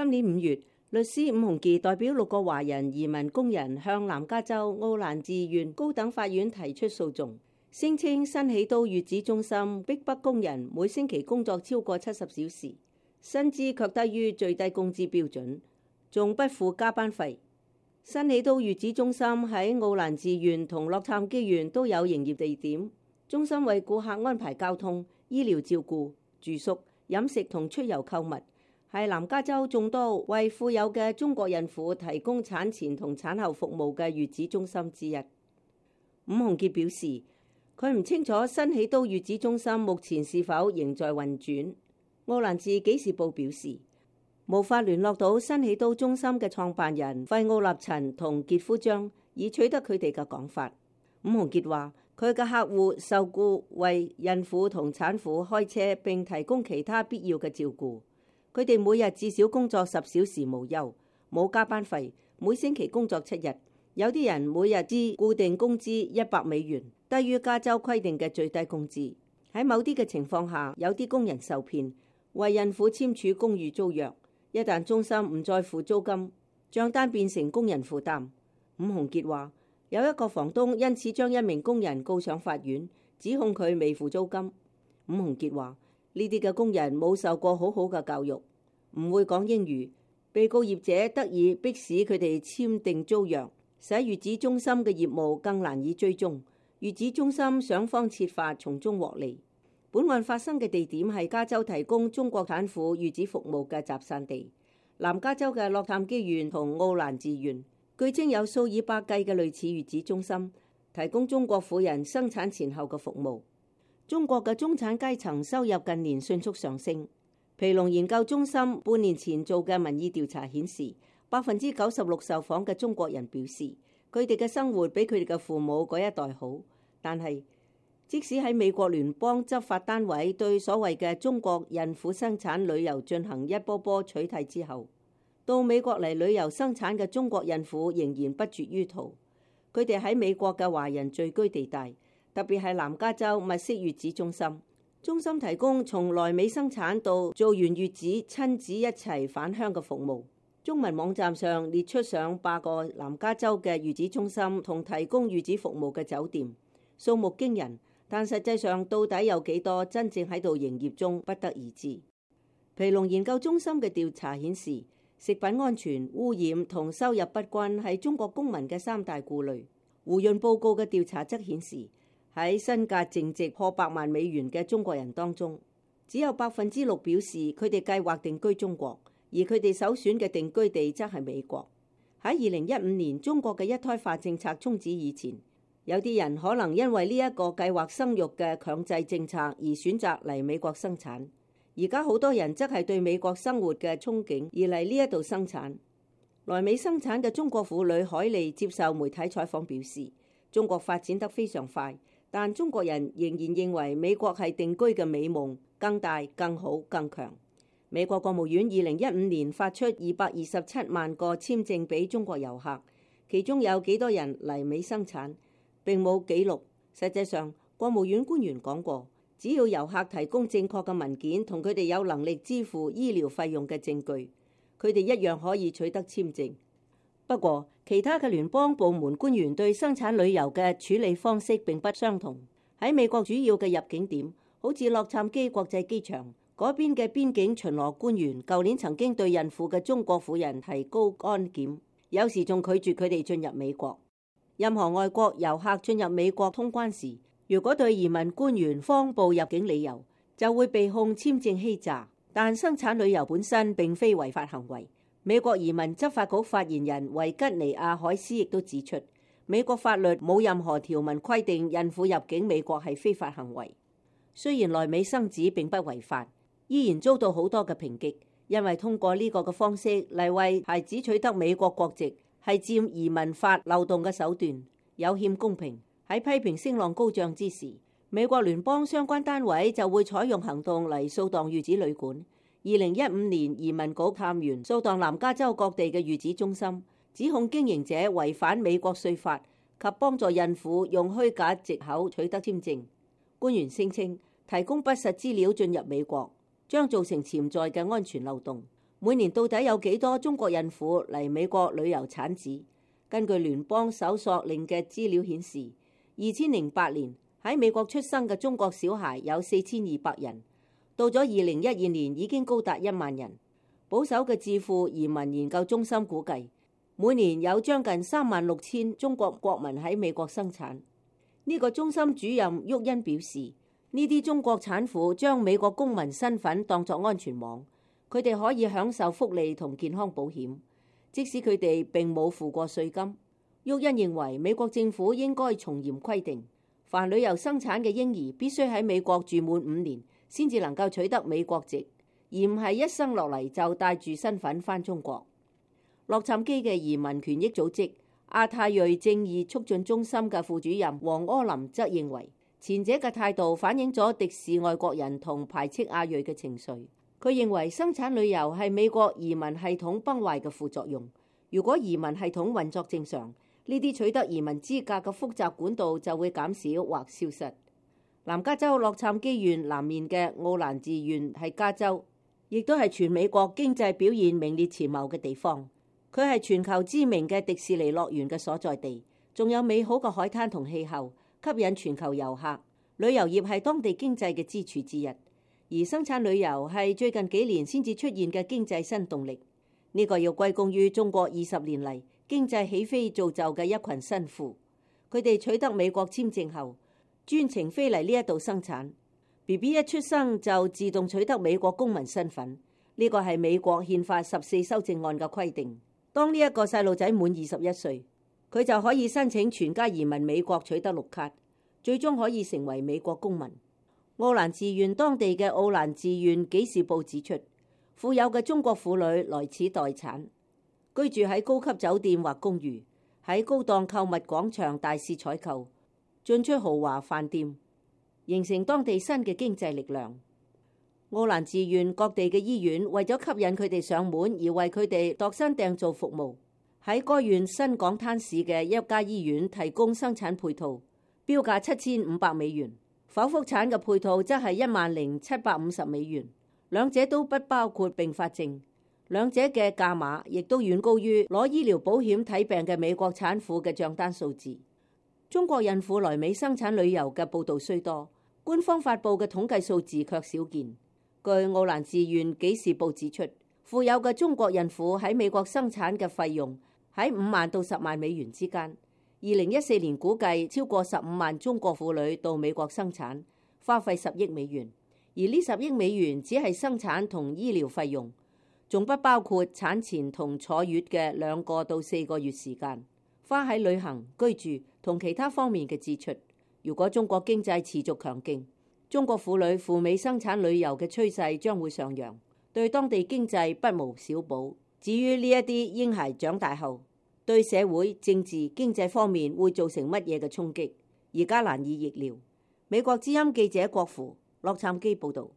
今年5月，律師伍鴻傑代表6個華人移民工人向南加州奧蘭治縣高等法院提出訴訟，聲稱新起都月子中心逼迫工人每星期工作超過70小時，薪資卻低於最低工資標準，仲不付加班費。新起都月子中心喺奧蘭治縣同洛杉磯縣都有營業地點，中心為顧客安排交通、醫療照顧、住宿、飲食同出遊購物，係南加州眾多為富有嘅中國孕婦提供產前同產後服務嘅月子中心之一。伍鴻傑表示，佢唔清楚新起都月子中心目前是否仍在運轉。奧蘭治紀事報表示，無法聯絡到新起都中心嘅創辦人費奧納陳同傑夫張，以取得佢哋嘅講法。伍鴻傑話，佢嘅客戶受僱為孕婦同產婦開車並提供其他必要嘅照顧。佢哋每日至少工作10小時無休，冇加班費，每星期工作7日。有啲人每日支固定工資$100，低於加州規定嘅最低工資。喺某啲嘅情況下，有啲工人受騙，為孕婦簽署公寓租約。一旦中心唔再付租金，賬單變成工人負擔。伍鴻傑話，有一個房東因此將一名工人告上法院，指控佢未付租金。伍鴻傑話，呢啲嘅工人冇受過好好嘅教育，唔會講英語，被告業者得以迫使佢哋簽訂租約，使月子中心嘅業務更難以追蹤。月子中心想方設法從中獲利。本案發生嘅地點係加州提供中國產婦月子服務嘅集散地，南加州嘅洛杉磯縣同奧蘭治縣，據稱有數以百計嘅類似月子中心，提供中國婦人生產前後嘅服務。中國嘅中產階層收入近年迅速上升。皮隆研究中心半年前做嘅民意調查顯示，96%受訪嘅中國人表示，佢哋嘅生活比佢哋嘅父母嗰一代好。但係，即使喺美國聯邦執法單位對所謂嘅中國孕婦生產旅遊進行一波波取締之後，到美國嚟旅遊生產嘅中國孕婦仍然不絕於途。佢哋喺美國嘅華人聚居地帶，特別係南加州物色月子中心。中心提供從來美生產到做完月子親子一齊返鄉嘅服務。中文網站上列出上百個南加州嘅月子中心同提供月子服務嘅酒店，數目驚人。但實際上到底有幾多真正喺度營業中，不得而知。皮隆研究中心嘅調查顯示，食品安全、污染同收入不均係中國公民嘅3大顧慮。胡潤報告嘅調查則顯示，喺身價淨值破100萬美元嘅中國人當中，只有6%表示佢哋計劃定居中國，而佢哋首選嘅定居地則係美國。喺2015年中國嘅一胎化政策終止以前，有啲人可能因為呢一個計劃生育嘅強制政策而選擇嚟美國生產。而家好多人則係對美國生活嘅憧憬而嚟呢一度生產。來美生產嘅中國婦女海莉接受媒體採訪表示，中國發展得非常快，但中國人仍然認為美國係定居嘅美夢，更大、更好、更強。美國國務院2015年發出227萬個簽證俾中國遊客，其中有幾多人嚟美生產並冇記錄。實際上，國務院官員講過，只要遊客提供正確嘅文件同佢哋有能力支付醫療費用嘅證據，佢哋一樣可以取得簽證。不過，其他嘅聯邦部門官員對生產旅遊嘅處理方式並不相同。喺美國主要嘅入境點，好似洛杉磯國際機場嗰邊嘅邊境巡邏官員，舊年曾經對孕婦嘅中國婦人提高安檢，有時仲拒絕佢哋進入美國。任何外國遊客進入美國通關時，如果對移民官員謊報入境理由，就會被控簽證欺詐。但生產旅遊本身並非違法行為。美國移民執法局發言人維吉尼亞海斯亦都指出，美國法律冇任何條文規定孕婦入境美國係非法行為。雖然來美生子並不違法，依然遭到好多嘅抨擊，因為通過呢個嘅方式嚟為孩子取得美國國籍，係佔移民法漏洞嘅手段，有欠公平。喺批評聲浪高漲之時，美國聯邦相關單位就會採用行動嚟掃蕩月子旅館。2015年移民局探員掃蕩南加州各地嘅月子中心，指控經營者違反美國稅法及幫助孕婦用虛假藉口取得簽證。官員聲稱提供不實資料進入美國將造成潛在嘅安全漏洞。每年到底有幾多中國孕婦嚟美國旅遊產子？根據聯邦搜索令嘅資料顯示，2008年喺美國出生嘅中國小孩有4200人，到咗2012年已經高達1萬人。保守嘅智庫移民研究中心估計，每年有將近36000中國國民喺美國生產。呢個中心主任沃恩表示，呢啲中國產婦將美國公民身份當作安全網，佢哋可以享受福利同健康保險，即使佢哋並冇付過稅金。沃恩認為美國政府應該從嚴規定，凡旅遊生產嘅嬰兒必須喺美國住滿5年，先至能夠取得美國籍，而唔係一生落嚟就帶住身份返中國。洛杉磯嘅移民權益組織亞太裔正義促進中心嘅副主任黃柯林則認為，前者嘅態度反映咗敵視外國人同排斥亞裔嘅情緒。佢認為生產旅遊係美國移民系統崩壞嘅副作用。如果移民系統運作正常，呢啲取得移民資格嘅複雜管道就會減少或消失。南加州洛杉磯縣南面嘅奧蘭治縣係加州，亦都係全美國經濟表現名列前茅嘅地方。佢係全球知名嘅迪士尼樂園嘅所在地，仲有美好嘅海灘同氣候，吸引全球遊客。旅遊業係當地經濟嘅支柱之一，而生產旅遊係最近幾年先至出現嘅經濟新動力。呢個要歸功於中國20年嚟經濟起飛造就嘅一群新婦。佢哋取得美國簽證後，專程飛嚟呢一度生產。BB 一出生就自動取得美國公民身份，呢個係美國憲法14修正案嘅規定。當呢一個細路仔滿21歲，佢就可以申請全家移民美國，取得綠卡，最終可以成為美國公民。奧蘭治縣當地嘅奧蘭治縣紀事報指出，富有嘅中國婦女來此待產，居住喺高級酒店或公寓，喺高檔購物廣場大肆採購，進出豪華飯店，形成當地新嘅經濟力量。奧蘭治縣各地嘅醫院為咗吸引佢哋上門而為佢哋度身訂造服務。喺該縣新港灘市嘅一家醫院提供生產配套，標價7500美元，剖腹產嘅配套則係10750美元，兩者都不包括併發症，兩者嘅價碼亦都遠高於攞醫療保險睇病嘅美國產婦嘅賬單數字。中國孕婦來美生產旅遊嘅報導雖多，官方發布嘅統計數字卻少見。據奧蘭治縣紀事報指出，富有嘅中國孕婦喺美國生產嘅費用喺5萬到10萬美元之間。2014年估計超過15萬中國婦女到美國生產，花費10億美元，而呢10億美元只係生產同醫療費用，仲不包括產前同坐月嘅2個到4個月時間，花喺旅行、居住同其他方面嘅支出。如果中國經濟持續強勁，中國婦女赴美生產旅遊嘅趨勢將會上揚，對當地經濟不無小補。至於呢一啲嬰孩長大後對社會、政治、經濟方面會造成乜嘢嘅衝擊，而家難以預料。美國之音記者郭芙洛杉磯報導。